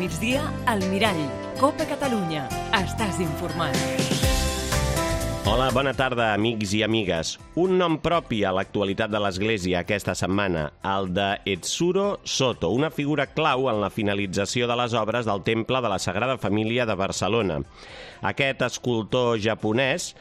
migdia, al Mirall. Copa Catalunya. Estàs informat. Hola, bona tarda, amics i amigues. Un nom propi a l'actualitat de l'Església aquesta setmana, el de Etsuro Soto, una figura clau en la finalització de les obres del Temple de la Sagrada Família de Barcelona. Aquest escultor japonès,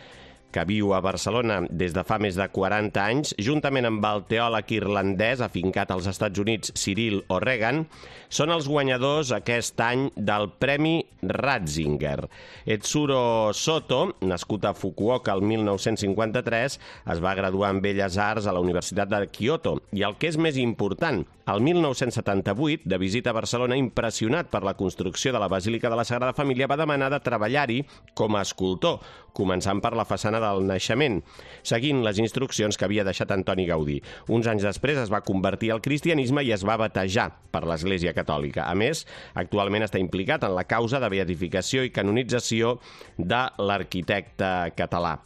que viu a Barcelona des de fa més de 40 anys, juntament amb el teòleg irlandès afincat als Estats Units, Cyril O'Regan, són els guanyadors aquest any del Premi Ratzinger. Etsuro Soto, nascut a Fukuoka el 1953, es va graduar en Belles Arts a la Universitat de Kyoto. I el que és més important, el 1978, de visita a Barcelona, impressionat per la construcció de la Basílica de la Sagrada Família, va demanar de treballar-hi com a escultor, començant per la façana del naixement, seguint les instruccions que havia deixat Antoni Gaudí. Uns anys després es va convertir al cristianisme i es va batejar per l'Església Catòlica. A més, actualment està implicat en la causa de beatificació i canonització de l'arquitecte català.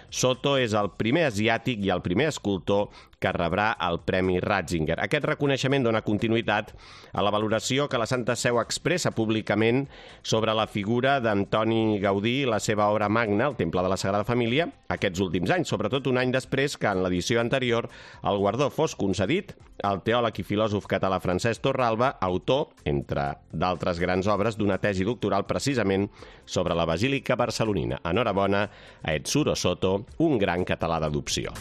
Soto és el primer asiàtic i el primer escultor que rebrà el Premi Ratzinger. Aquest reconeixement dona continuïtat a la valoració que la Santa Seu expressa públicament sobre la figura d'Antoni Gaudí i la seva obra magna, el Temple de la Sagrada Família, aquests últims anys, sobretot un any després que en l'edició anterior el guardó fos concedit al teòleg i filòsof català Francesc Torralba, autor, entre d'altres grans obres, d'una tesi doctoral precisament sobre la Basílica barcelonina. Enhorabona a Etsuro Soto, un gran català d'adopció.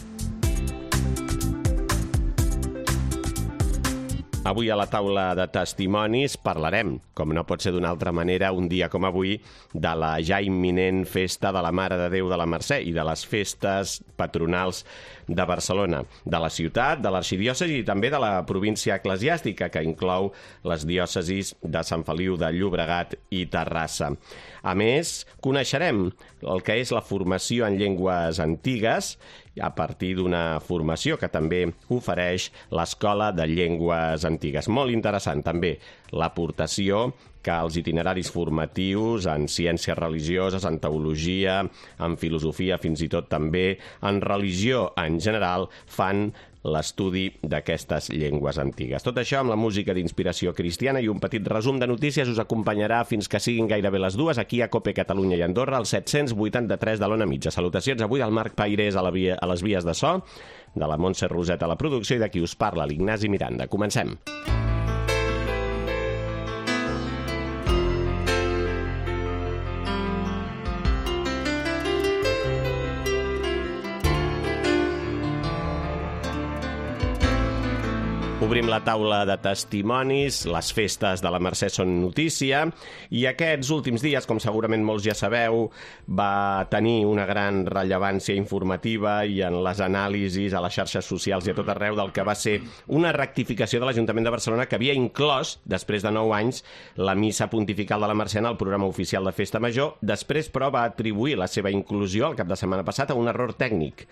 Avui a la taula de testimonis parlarem, com no pot ser d'una altra manera, un dia com avui, de la ja imminent festa de la Mare de Déu de la Mercè i de les festes patronals de Barcelona, de la ciutat, de l'arxidiòcesi i també de la província eclesiàstica, que inclou les diòcesis de Sant Feliu de Llobregat i Terrassa. A més, coneixerem el que és la formació en llengües antigues a partir d'una formació que també ofereix l'Escola de Llengües Antigues. Molt interessant també l'aportació que els itineraris formatius en ciències religioses, en teologia, en filosofia, fins i tot també en religió en general, fan l'estudi d'aquestes llengües antigues. Tot això amb la música d'inspiració cristiana i un petit resum de notícies us acompanyarà fins que siguin gairebé les 2 aquí a Cope Catalunya i Andorra, al 783 de l'Ona Mitja. Salutacions avui al Marc Pairés a les vies de so, de la Montse Roset a la producció i de qui us parla, l'Ignasi Miranda. Comencem. Obrim la taula de testimonis, les festes de la Mercè són notícia i aquests últims dies, com segurament molts ja sabeu, va tenir una gran rellevància informativa i en les anàlisis a les xarxes socials i a tot arreu del que va ser una rectificació de l'Ajuntament de Barcelona que havia inclòs, després de 9 anys, la missa pontifical de la Mercè en el programa oficial de Festa Major. Després, però, va atribuir la seva inclusió el cap de setmana passat a un error tècnic.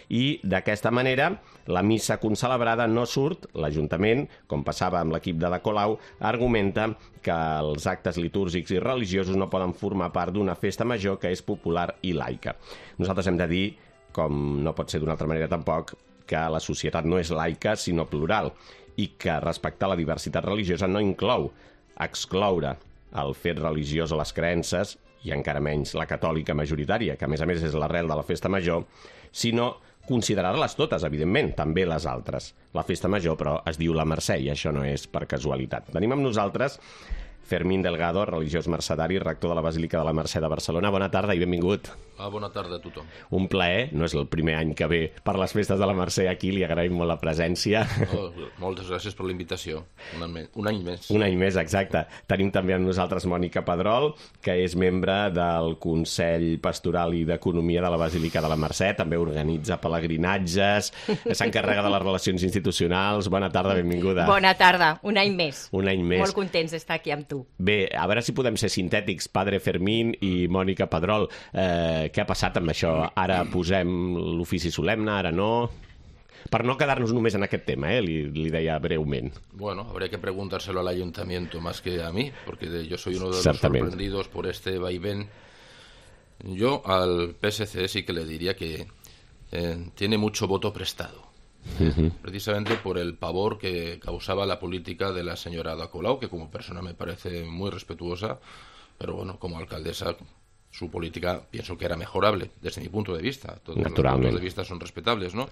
I d'aquesta manera la missa concelebrada no surt. L'Ajuntament, com passava amb l'equip de Colau, argumenta que els actes litúrgics i religiosos no poden formar part d'una festa major que és popular i laica. Nosaltres hem de dir, com no pot ser d'una altra manera tampoc, que la societat no és laica sinó plural i que respectar la diversitat religiosa no inclou excloure el fet religiós o les creences, i encara menys la catòlica majoritària, que a més és l'arrel de la festa major, sinó considerar-les totes, evidentment, també les altres. La festa major, però, es diu la Mercè, i això no és per casualitat. Tenim amb nosaltres Fermín Delgado, religiós mercedari, rector de la Basílica de la Mercè de Barcelona. Bona tarda i benvingut. Bona tarda a tothom. Un plaer, no és el primer any que ve per les festes de la Mercè aquí, li agraïm molt la presència. Moltes gràcies per la invitació. Un any més. Un any més, exacte. Tenim també amb nosaltres Mònica Pedrol, que és membre del Consell Pastoral i d'Economia de la Basílica de la Mercè, també organitza pelegrinatges, s'encarrega de les relacions institucionals. Bona tarda, benvinguda. Bona tarda, un any més. Un any més. Molt contents d'estar aquí amb tu. Bé, a veure si podem ser sintètics, Padre Fermín i Mònica Pedrol. Què ha passat amb això? Ara posem l'ofici solemne, ara no? Per no quedarnos només en aquest tema, li deia breument. Bueno, habría que preguntárselo al ayuntamiento más que a mí, porque yo soy uno de los sorprendidos por este vaivén. Yo al PSC sí que le diría que tiene mucho voto prestado. precisamente por el pavor que causaba la política de la señora Ada Colau, que como persona me parece muy respetuosa, pero bueno, como alcaldesa su política pienso que era mejorable desde mi punto de vista. Todos los puntos de vista son respetables, ¿no?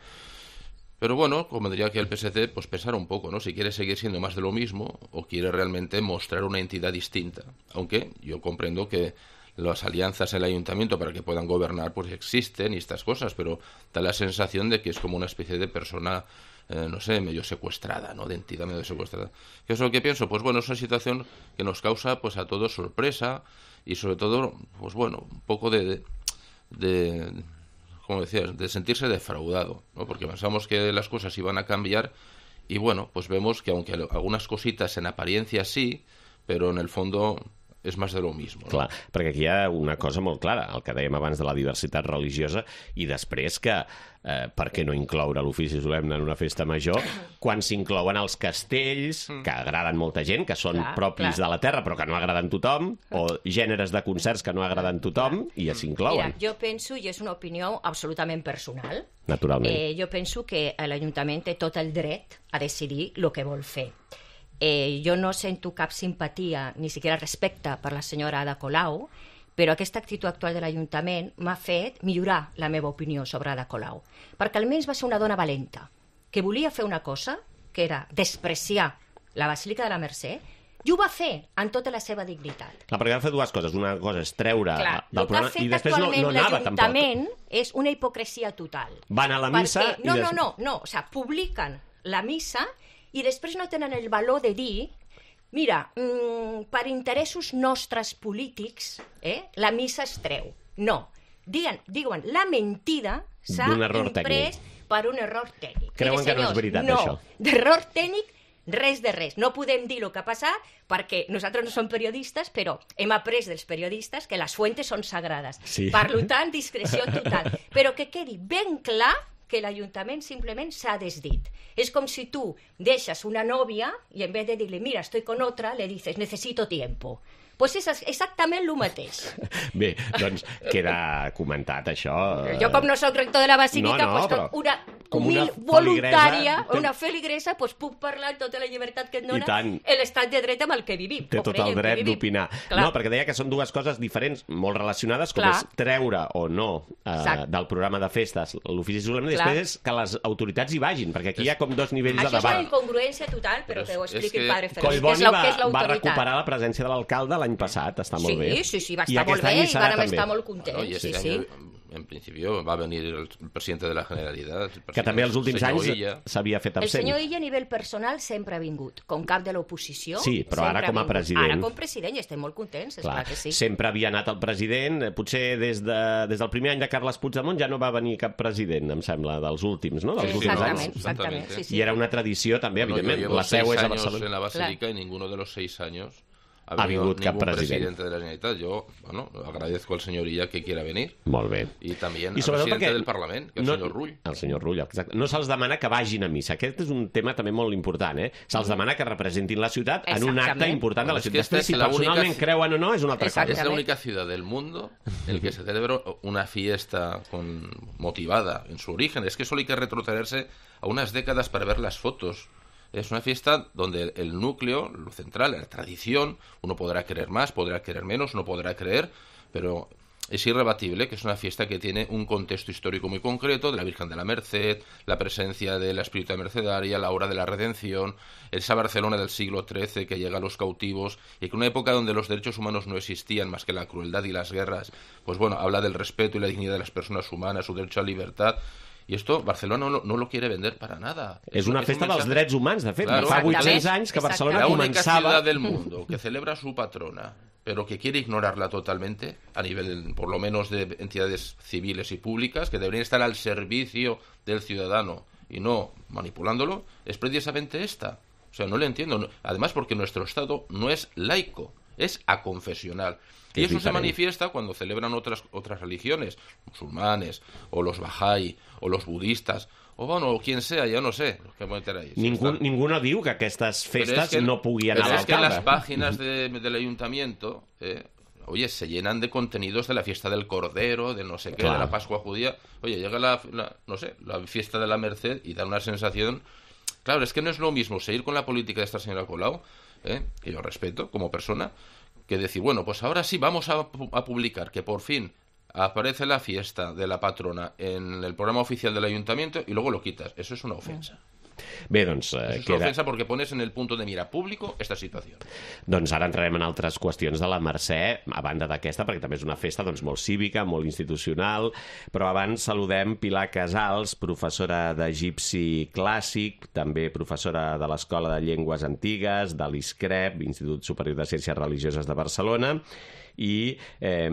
Pero bueno, como diría que el PSC, pues pensar un poco, ¿no? Si quiere seguir siendo más de lo mismo o quiere realmente mostrar una entidad distinta. Aunque yo comprendo que las alianzas en el ayuntamiento para que puedan gobernar pues existen y estas cosas, pero da la sensación de que es como una especie de persona, no sé, medio secuestrada, ¿no? De entidad medio secuestrada. ¿Qué es lo que pienso? Pues bueno, es una situación que nos causa pues a todos sorpresa y sobre todo, pues bueno, un poco de como decías, de sentirse defraudado, ¿no? Porque pensamos que las cosas iban a cambiar y bueno, pues vemos que aunque algunas cositas en apariencia sí, però en el fondo és més de lo mismo. No? Clar, perquè aquí hi ha una cosa molt clara, el que dèiem abans de la diversitat religiosa i després que per què no incloure l'ofici solemne en una festa major quan s'inclouen els castells que agraden molta gent, que són propis de la terra però que no agraden tothom, o gèneres de concerts que no agraden tothom i s'inclouen. Mira, jo penso, i és una opinió absolutament personal, naturalment. Jo penso que l'Ajuntament té tot el dret a decidir el que vol fer. Jo no sento cap simpatia, ni siquiera respecte per la senyora Ada Colau, però aquesta actitud actual de l'Ajuntament m'ha fet millorar la meva opinió sobre Ada Colau, perquè almenys va ser una dona valenta, que volia fer una cosa, que era despreciar la Basílica de la Mercè, i ho va fer amb tota la seva dignitat. Clar, perquè va fer dues coses. Una cosa és treure del programa i després no anava tampoc. L'Ajuntament és una hipocresia total. Van a la missa i... No, o sigui, publiquen la missa i després no tenen el valor de dir mira, per interessos nostres polítics la missa es treu. No, diuen, la mentida s'ha imprès per un error tècnic. Creuen que no és veritat, això? No, d'error tècnic res de res. No podem dir el que ha passat perquè nosaltres no som periodistes, però hem après dels periodistes que les fuentes són sagrades. Sí. Per tant, discreció total. Però que quedi ben clar que l'Ajuntament simplement s'ha desdit. És com si tu deixes una nòvia i en vez de dir-li, mira, estoy con otra, le dices, necesito tiempo. Pues és exactament el mateix. Bé, doncs queda comentat això. Jo com no soc rector de la Basílica, una humil voluntària, una feligresa, puc parlar amb tota la llibertat que et dona l'estat de dret amb el que vivim. Té tot el dret d'opinar. No, perquè deia que són dues coses diferents, molt relacionades, com és treure o no del programa de festes l'ofici solemne, i després és que les autoritats hi vagin, perquè aquí hi ha com dos nivells de debat. Això és una incongruència total, però que ho expliqui el padre Félix, que és l'autoritat. Va recuperar la presència de l'alcalde l'any passat, està molt bé. Sí, va estar molt bé i vam estar molt contents. Sí. En principio va a venir el presidente de la Generalitat. Que també els últims anys s'havia fet absent. El senyor Illa a nivell personal sempre ha vingut, com cap de l'oposició. Sí, però ara com a president. Ara com a president i estem molt contents, esclar que sí. Sempre havia anat el president, potser des del primer any de Carles Puigdemont ja no va venir cap president, em sembla, dels últims, no? Dels últims anys. Exactament. I era una tradició també, evidentment. La seu és a Barcelona. Yo llevo 6 años en la Basílica y ninguno de los 6 años ha vingut cap presidente de la Generalitat. Yo, agradezco al señor Illa que quiera venir. Molt bé. Y también al presidente del Parlament, que és el senyor Rull. El senyor Rull, exacte. No se'ls demana que vagin a missa. Aquest és un tema també molt important, Se'ls demana que representin la ciutat en un acte important de la ciutat. Després, si personalment creuen o no, és una altra cosa. Es la única ciudad del mundo en que se celebra una fiesta motivada en su origen. Es que solo hay que retrocederse a unas décadas para ver las fotos. Es una fiesta donde el núcleo, lo central, la tradición, uno podrá creer más, podrá creer menos, no podrá creer, pero es irrebatible que es una fiesta que tiene un contexto histórico muy concreto, de la Virgen de la Merced, la presencia de la espiritualidad mercedaria, la hora de la redención, esa Barcelona del siglo XIII que llega a los cautivos, y que una época donde los derechos humanos no existían más que la crueldad y las guerras, pues bueno, habla del respeto y la dignidad de las personas humanas, su derecho a la libertad. I esto Barcelona no lo quiere vender para nada. És una festa dels drets humans, de fet. Fa 800 anys que Barcelona començava... La única ciudad del mundo que celebra su patrona, pero que quiere ignorarla totalmente a nivel, por lo menos, de entidades civiles y públicas, que deberían estar al servicio del ciudadano y no manipulándolo, es precisamente esta. O sea, no le entiendo. Además, porque nuestro Estado no es laico, es aconfesional. Y eso se manifiesta cuando celebran otras religiones, musulmanes, o los Bahá'í, o los budistas, o bueno, o quien sea, ya no sé. Ningú no diu que aquestes festes no pugui anar a l'alcalde. Pero es que en las páginas del ayuntamiento, oye, se llenan de contenidos de la fiesta del Cordero, de no sé qué, de la Pascua judía. Oye, llega la fiesta de la Merced y da una sensación... Claro, es que no es lo mismo seguir con la política de esta señora Colau, que yo respeto como persona, que decir, bueno, pues ahora sí vamos a publicar que por fin aparece la fiesta de la patrona en el programa oficial del ayuntamiento y luego lo quitas. Eso es una ofensa. Bé, doncs... Eso es una ofensa porque pones en el punto de mira público esta situació. Doncs ara entrarem en altres qüestions de la Mercè, a banda d'aquesta, perquè també és una festa doncs, molt cívica, molt institucional, però abans saludem Pilar Casals, professora d'egipci clàssic, també professora de l'Escola de Llengües Antigues, de l'ISCREP, Institut Superior de Ciències Religioses de Barcelona, i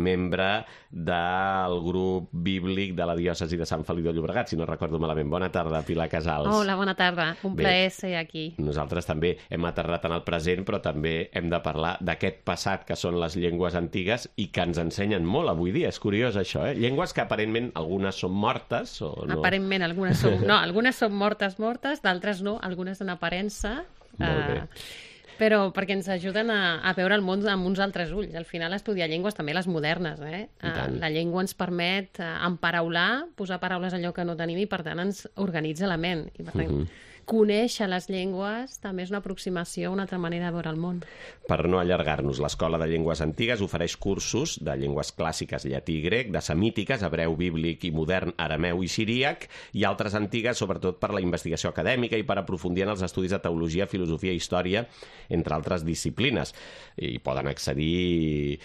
membre del grup bíblic de la diòcesi de Sant Feliu de Llobregat, si no recordo malament. Bona tarda, Pilar Casals. Hola, bona tarda. Un plaer ser aquí. Nosaltres també hem aterrat en el present, però també hem de parlar d'aquest passat que són les llengües antigues i que ens ensenyen molt avui dia. És curiós, això, Llengües que aparentment algunes són mortes o no? Aparentment algunes són... No, algunes són mortes, d'altres no, algunes en aparença. Molt bé. Però perquè ens ajuden a veure el món amb uns altres ulls. Al final, estudiar llengües, també les modernes, La llengua ens permet emparaular, posar paraules en lloc que no tenim i, per tant, ens organitza la ment. I, per tant, conèixer les llengües també és una aproximació, una altra manera de veure el món. Per no allargar-nos, l'Escola de Llengües Antigues ofereix cursos de llengües clàssiques, llatí i grec, de semítiques, hebreu, bíblic i modern, arameu i siríac, i altres antigues, sobretot per la investigació acadèmica i per aprofundir en els estudis de teologia, filosofia i història, entre altres disciplines. I poden accedir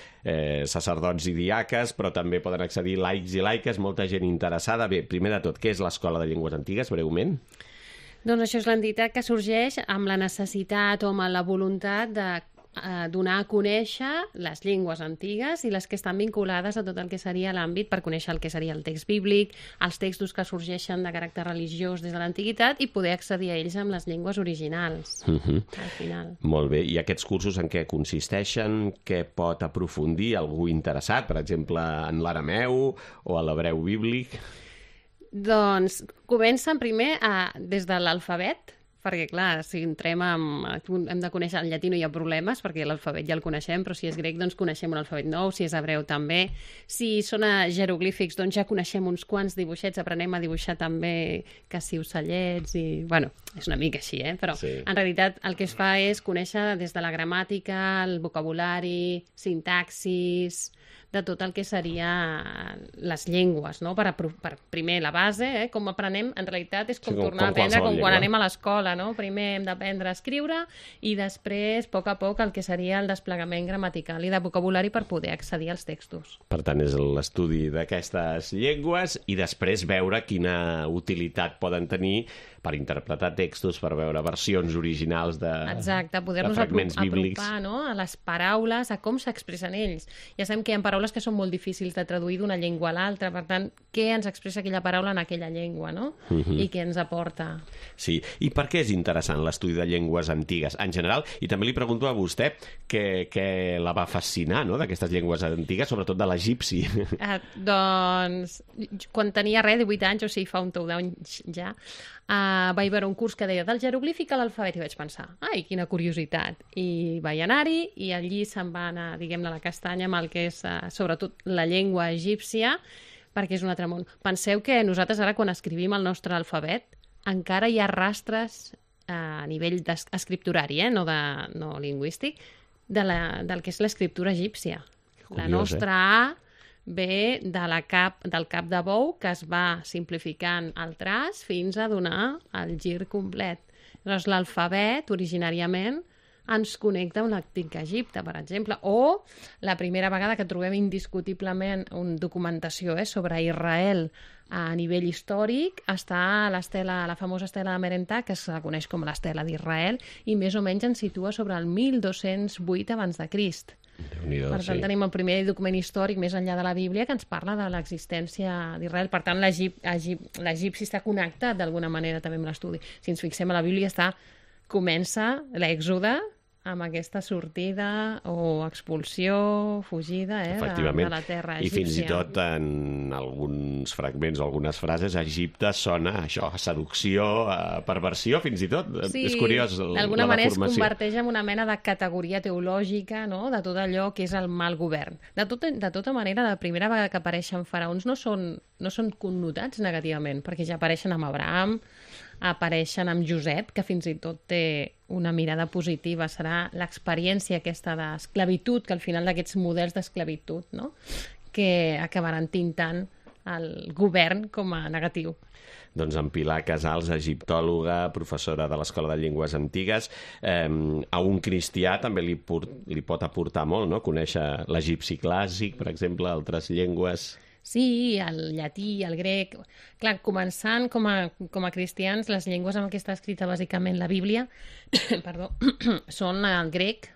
sacerdots i diaques, però també poden accedir laics i laiques, molta gent interessada. Bé, primer de tot, què és l'Escola de Llengües Antigues, breument? Doncs això és l'entitat que sorgeix amb la necessitat o amb la voluntat de donar a conèixer les llengües antigues i les que estan vinculades a tot el que seria l'àmbit per conèixer el que seria el text bíblic, els textos que sorgeixen de caràcter religiós des de l'antiguitat i poder accedir a ells amb les llengües originals, al final. Molt bé. I aquests cursos en què consisteixen? Què pot aprofundir algú interessat, per exemple, en l'arameu o a l'hebreu bíblic? Doncs comencen primer des de l'alfabet, perquè, clar, si entrem hem de conèixer el llatí, no hi ha problemes, perquè l'alfabet ja el coneixem, però si és grec, doncs coneixem un alfabet nou, si és hebreu també. Si són jeroglífics, doncs ja coneixem uns quants dibuixets, aprenem a dibuixar també que si ocellets i... Bueno, és una mica així, però sí. En realitat el que es fa és conèixer des de la gramàtica, el vocabulari, sintaxis, de tot el que seria les llengües, no? Per primer la base, com aprenem, en realitat és com tornar a aprendre com quan anem a l'escola, no? Primer hem d'aprendre a escriure i després, a poc, el que seria el desplegament gramatical i de vocabulari per poder accedir als textos. Per tant, és l'estudi d'aquestes llengües i després veure quina utilitat poden tenir per interpretar textos, per veure versions originals de fragments bíblics. Apropar, no? A les paraules, a com s'expressen ells. Ja sabem que hi ha paraules que són molt difícils de traduir d'una llengua a l'altra, per tant, què ens expressa aquella paraula en aquella llengua, no? I què ens aporta. Sí, i per què és interessant l'estudi de llengües antigues en general? I també li pregunto a vostè què la va fascinar, no?, d'aquestes llengües antigues, sobretot de l'egipci. Doncs, quan tenia 18 anys, o sigui, fa un tou d'anys ja, vaig veure un curs que deia del jeroglífic a l'alfabet i vaig pensar, ai, quina curiositat. I vaig anar-hi i allí se'n va anar, diguem-ne, la castanya amb el que és, sobretot, la llengua egípcia, perquè és un altre món. Penseu que nosaltres ara, quan escrivim el nostre alfabet, encara hi ha rastres a nivell escripturari, no lingüístic, del que és l'escriptura egípcia. La nostra A ve del cap de bou, que es va simplificant el traç fins a donar el gir complet. Llavors, l'alfabet, originàriament, ens connecta amb l'antic Egipte, per exemple, o la primera vegada que trobem indiscutiblement una documentació sobre Israel a nivell històric està la famosa estela de Merentà, que es coneix com l'estela d'Israel, i més o menys ens situa sobre el 1208 abans de Crist. Per tant, tenim el primer document històric més enllà de la Bíblia que ens parla de l'existència d'Israel. Per tant, l'egipci està connectat d'alguna manera també amb l'estudi. Si ens fixem a la Bíblia, comença l'Èxode amb aquesta sortida o expulsió, fugida de la terra egípcia. I fins i tot en alguns fragments o algunes frases, Egipte sona això, seducció, perversió, fins i tot. Sí, és curiós la deformació. D'alguna manera es converteix en una mena de categoria teològica, no?, de tot allò que és el mal govern. De tota manera, la primera vegada que apareixen faraons no són connotats negativament, perquè ja apareixen amb Abraham, apareixen amb Josep, que fins i tot té una mirada positiva. Serà l'experiència aquesta d'esclavitud, que al final d'aquests models d'esclavitud, no?, que acabaran tintant el govern com a negatiu. Doncs en Pilar Casals, egiptòloga, professora de l'Escola de Llengües Antigues, a un cristià també li pot aportar molt, no?, conèixer l'egipci clàssic, per exemple, altres llengües. Sí, el llatí, el grec... Clar, començant com a cristians, les llengües amb què està escrita bàsicament la Bíblia són el grec,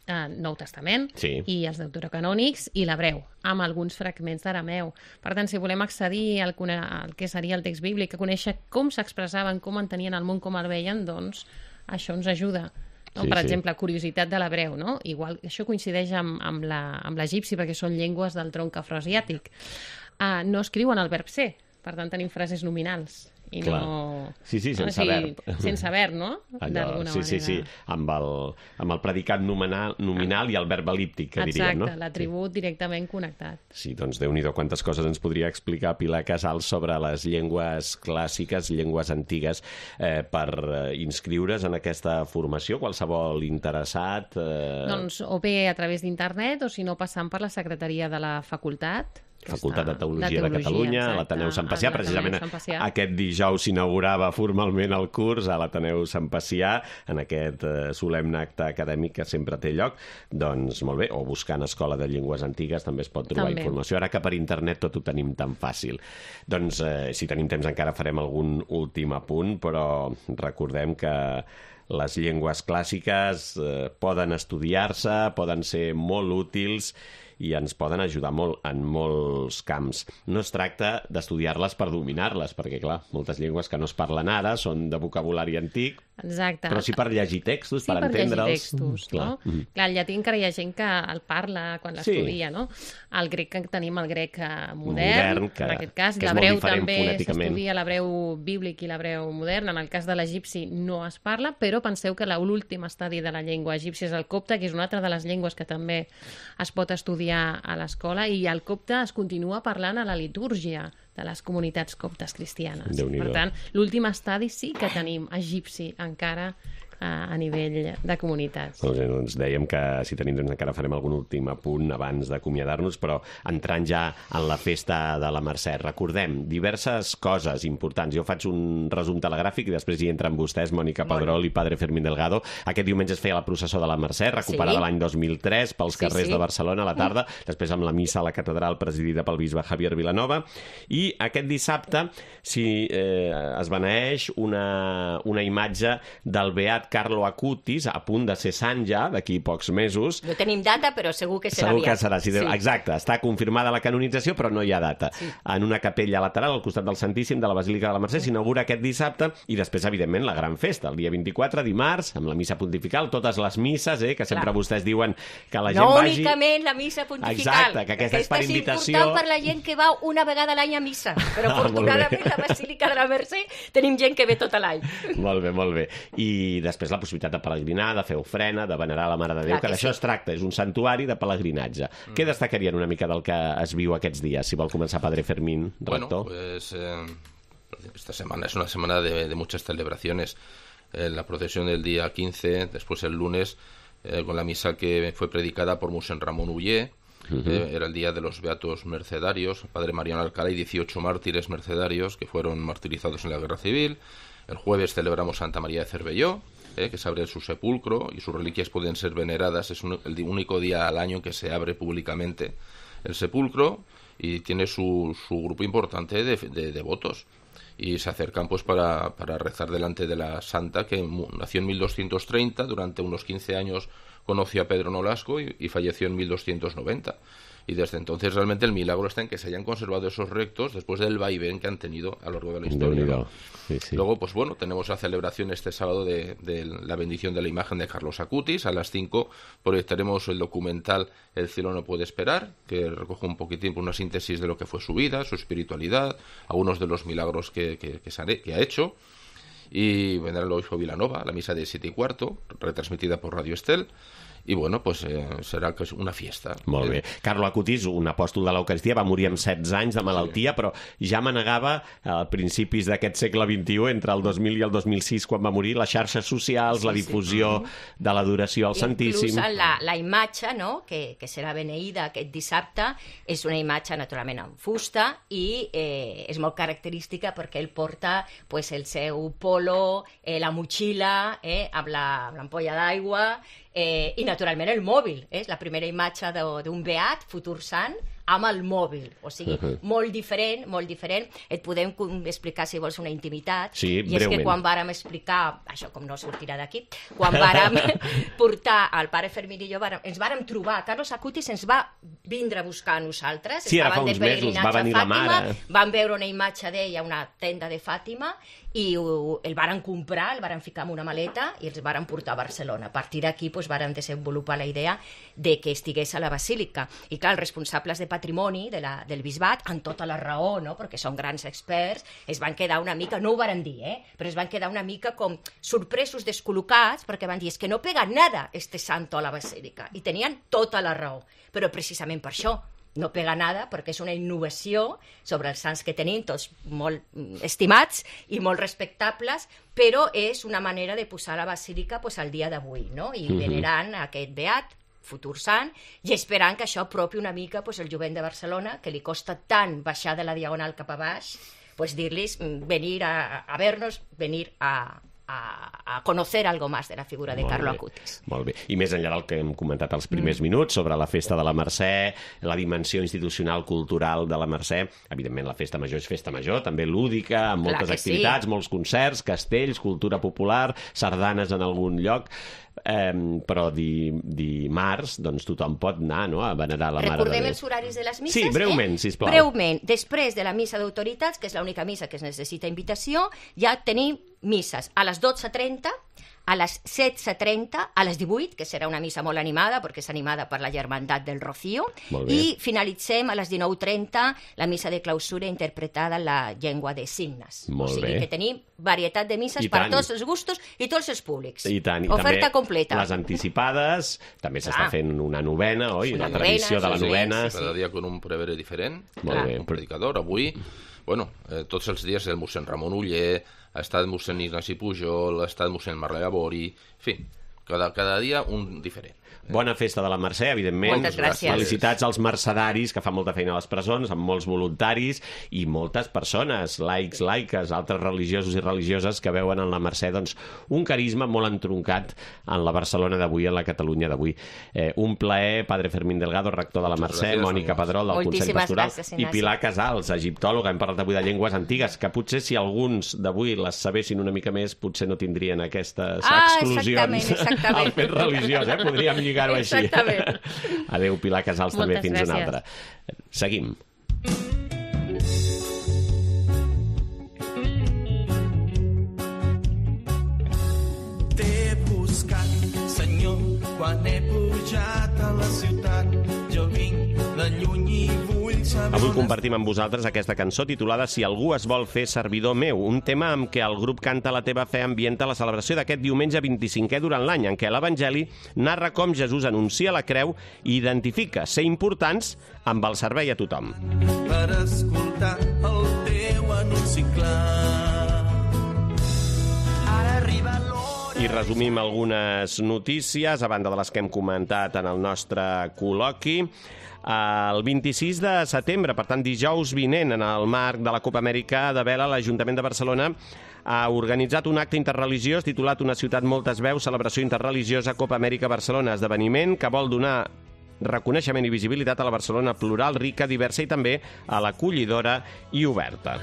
Nou Testament, sí, i els deuterocanònics i l'hebreu, amb alguns fragments d'arameu. Per tant, si volem accedir al que seria el text bíblic, a conèixer com s'expressaven, com entenien el món, com el veien, doncs això ens ajuda. No? Sí, per exemple, curiositat de l'hebreu, no? Igual, això coincideix amb l'egipci, perquè són llengües del tronc afroasiàtic. No escriuen el verb ser, per tant tenim frases nominals. I clar. No... Sí, sense verb. Sense verb, no? D'alguna manera. Sí, amb el predicat nominal i el verb el·líptic, que diríem, no? Exacte, l'atribut directament connectat. Sí, doncs Déu-n'hi-do quantes coses ens podria explicar Pilar Casals sobre les llengües clàssiques, llengües antigues, per inscriure's en aquesta formació, qualsevol interessat. Doncs o bé a través d'internet o si no passant per la secretaria de la facultat. Facultat de Teologia de Catalunya, a l'Ateneu Sant Pacià. Precisament aquest dijous s'inaugurava formalment el curs a l'Ateneu Sant Pacià, en aquest solemne acte acadèmic que sempre té lloc. Doncs molt bé, o buscant Escola de Llengües Antigues també es pot trobar informació. Ara que per internet tot ho tenim tan fàcil. Doncs si tenim temps encara farem algun últim apunt, però recordem que les llengües clàssiques poden estudiar-se, poden ser molt útils i ens poden ajudar molt en molts camps. No es tracta d'estudiar-les per dominar-les, perquè, clar, moltes llengües que no es parlen ara són de vocabulari antic, exacte, però sí per llegir textos, per entendre'ls. Sí, per llegir textos, no? Clar, el llatí encara hi ha gent que el parla quan l'estudia, no? El grec que tenim, el grec modern, en aquest cas, l'hebreu també s'estudia, l'hebreu bíblic i l'hebreu modern. En el cas de l'egipci no es parla, però penseu que l'últim estadi de la llengua egípcia és el copte, que és una altra de les llengües que també es pot estudiar a l'escola, i el copte es continua parlant a la litúrgia de les comunitats coptes cristianes. Per tant, l'últim estadi sí que tenim egipci encara a nivell de comunitats. Doncs dèiem que si tenim temps encara farem algun últim apunt abans d'acomiadar-nos, però entrant ja en la festa de la Mercè, recordem diverses coses importants. Jo faig un resum telegràfic i després hi entren vostès, Mònica Pedrol i Padre Fermín Delgado. Aquest diumenge es feia la processó de la Mercè, recuperada l'any 2003 pels carrers de Barcelona a la tarda, després amb la missa a la catedral presidida pel bisbe Javier Vilanova, i aquest dissabte es beneeix una imatge del beat Carlo Acutis, a punt de ser sant ja, d'aquí pocs mesos. No tenim data, però segur que serà aviat. Segur que serà, sí. Exacte. Està confirmada la canonització, però no hi ha data. Sí. En una capella lateral, al costat del Santíssim de la Basílica de la Mercè, s'inaugura aquest dissabte, i després, evidentment, la gran festa, el dia 24, dimarts, amb la missa pontifical, totes les misses, que sempre vostès diuen que la gent vagi... No únicament la missa pontifical. Exacte, que aquesta és per invitació. És important per la gent que va una vegada a l'any a missa, però afortunadament la Basílica de la Mercè tenim gent que ve tot l'any. Molt bé, molt bé. I després la possibilitat de peregrinar, de fer ofrena, de venerar la Mare de Déu, que d'això es tracta, és un santuari de pelegrinatge. Què destacarien una mica del que es viu aquests dies? Si vol començar Padre Fermín, rector. Bueno, pues esta semana es una semana de muchas celebraciones. La procesión del día 15, después el lunes, con la misa que fue predicada por Mosén Ramón Ullé, era el día de los beatos mercedarios, Padre Mariano Alcalá y 18 mártires mercedarios que fueron martirizados en la Guerra Civil. El jueves celebramos Santa María de Cervelló, que se abre su sepulcro y sus reliquias pueden ser veneradas. Es el único día al año que se abre públicamente el sepulcro y tiene su grupo importante de devotos. Y se acercan pues para rezar delante de la santa, que nació en 1230, durante unos 15 años conoció a Pedro Nolasco y falleció en 1290. Y desde entonces realmente el milagro está en que se hayan conservado esos restos después del vaivén que han tenido a lo largo de la historia, ¿no? Sí, sí. Luego, pues bueno, tenemos la celebración este sábado de la bendición de la imagen de Carlos Acutis. A las 5 proyectaremos el documental El cielo no puede esperar, que recoge un poquitín una síntesis de lo que fue su vida, su espiritualidad, algunos de los milagros que ha hecho. Y vendrá el obispo Vilanova, la misa de 7:15, retransmitida por Radio Estel. I, bueno, pues, serà una fiesta. Molt bé. Carlo Acutis, un apòstol de l'Eucaristia, va morir amb 16 anys de malaltia, però ja manegava a principis d'aquest segle XXI, entre el 2000 i el 2006, quan va morir, les xarxes socials, la difusió de l'adoració al Santíssim. Inclús la imatge, no?, que serà beneïda aquest dissabte, és una imatge naturalment en fusta i és molt característica perquè ell porta pues, el seu polo, la motxilla, amb l'ampolla d'aigua, i naturalment el mòbil, és la primera imatge d'un beat, futur sant, amb el mòbil, o sigui, molt diferent, molt diferent. Et podem explicar, si vols, una intimitat, sí, i és que quan vàrem explicar, això com no sortirà d'aquí, quan vàrem portar el pare Fermín i jo, ens vàrem trobar, Carlos Acutis ens va vindre a buscar a nosaltres, sí, ara fa uns mesos va venir la mare, vam veure una imatge d'ella a una tenda de Fàtima i el varen comprar, el varen ficar en una maleta i els varen portar a Barcelona. A partir d'aquí varen desenvolupar la idea de que estigués a la Basílica. I clar, els responsables de patrimoni del bisbat, amb tota la raó, no?, perquè són grans experts, es van quedar una mica, no ho varen dir, però es van quedar una mica com sorpresos, descol·locats, perquè van dir, és que no pega nada este santo a la Basílica. I tenien tota la raó, però precisament per això no pega nada, perquè és una innovació sobre els sants que tenim, tots molt estimats i molt respectables, però és una manera de posar la Basílica al dia d'avui, no?, i venerant aquest beat, futur sant, i esperant que això apropi una mica el jovent de Barcelona, que li costa tant baixar de la Diagonal cap a baix, dir-los venir a vernos, venir a conocer algo más de la figura de Carlo Acutis. Molt bé. I més enllà del que hem comentat als primers minuts sobre la festa de la Mercè, la dimensió institucional cultural de la Mercè, evidentment la festa major és festa major, també lúdica, amb moltes activitats, molts concerts, castells, cultura popular, sardanes en algun lloc, però dimarts doncs tothom pot anar, no?, a venerar la Mare de Déu. Recordem els horaris de les misses? Sí, breument, sisplau. Breument. Després de la missa d'autoritats, que és l'única missa que es necessita invitació, ja tenim misses a les 12:30, a les 16:30, a les 18, que serà una missa molt animada, perquè és animada per la Germandat del Rocío, i finalitzem a les 19:30 la missa de clausura interpretada en la llengua de signes. Molt o sigui que tenim varietat de misses per tots els gustos i tots els públics. I tant. I oferta també completa. Les anticipades, també s'està fent una novena, oi? La tradició de la novena. Cada dia con un prevere diferent, un predicador. Avui, bueno, tots els dies el mossèn Ramon Uller, ha estat mossèn Ignasi Pujol, ha estat mossèn Marlè Gabori, en fi, cada dia un diferent. Bona festa de la Mercè, evidentment. Moltes gràcies. Felicitats als mercedaris, que fan molta feina a les presons, amb molts voluntaris i moltes persones, laics, laiques, altres religiosos i religioses que veuen en la Mercè doncs, un carisma molt entroncat en la Barcelona d'avui, en la Catalunya d'avui. Un plaer, padre Fermín Delgado, rector de la Mercè, Mònica Pedrol, del Consell Pastoral, i Pilar Casals, egiptòloga. Hem parlat avui de llengües antigues, que potser si alguns d'avui les sabessin una mica més, potser no tindrien aquestes exclusions al fet religiós. Podríem lligar-ho així. Exactament. Adéu, Pilar Casals, també fins una altra. Seguim. T'he buscat, Senyor, quan he pujat a la ciutat. Jo vinc de lluny i vull saber... Avui compartim amb vosaltres aquesta cançó titulada Si algú es vol fer servidor meu, un tema amb què el grup Canta la teva fe ambienta la celebració d'aquest diumenge 25è durant l'any, en què l'Evangeli narra com Jesús anuncia la creu i identifica ser importants amb el servei a tothom. Per escoltar el teu anunci clar. Ara arriba l'hora... I resumim algunes notícies, a banda de les que hem comentat en el nostre col·loqui. El 26 de setembre, per tant dijous vinent, en el marc de la Copa Amèrica de Vela, l'Ajuntament de Barcelona ha organitzat un acte interreligiós titulat Una ciutat moltes veus, celebració interreligiosa Copa Amèrica Barcelona, esdeveniment que vol donar reconeixement i visibilitat a la Barcelona plural, rica, diversa i també a l'acollidora i oberta.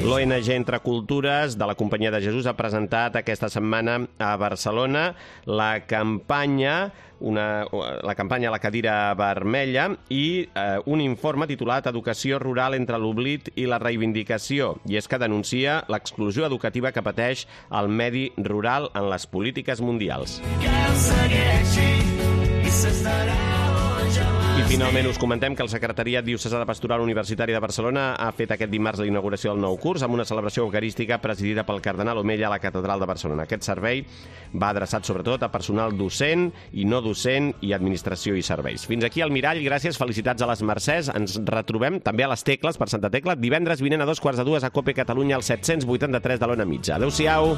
L'ONG Entre Cultures de la Companyia de Jesús ha presentat aquesta setmana a Barcelona la campanya La cadira vermella i un informe titulat Educació rural entre l'oblit i la reivindicació. I és que denuncia l'exclusió educativa que pateix el medi rural en les polítiques mundials. Que el segueixi i s'estarà I finalment us comentem que el Secretariat Diocesà Pastoral Universitària de Barcelona ha fet aquest dimarts la inauguració del nou curs amb una celebració eucarística presidida pel cardenal Omella a la Catedral de Barcelona. Aquest servei va adreçat sobretot a personal docent i no docent i administració i serveis. Fins aquí el Mirall, gràcies, felicitats a les Mercès. Ens retrobem també a les Tecles, per Santa Tecla, divendres vinent a 2:45 a COPE Catalunya al 783 de l'Ona Mitja. Adéu-siau!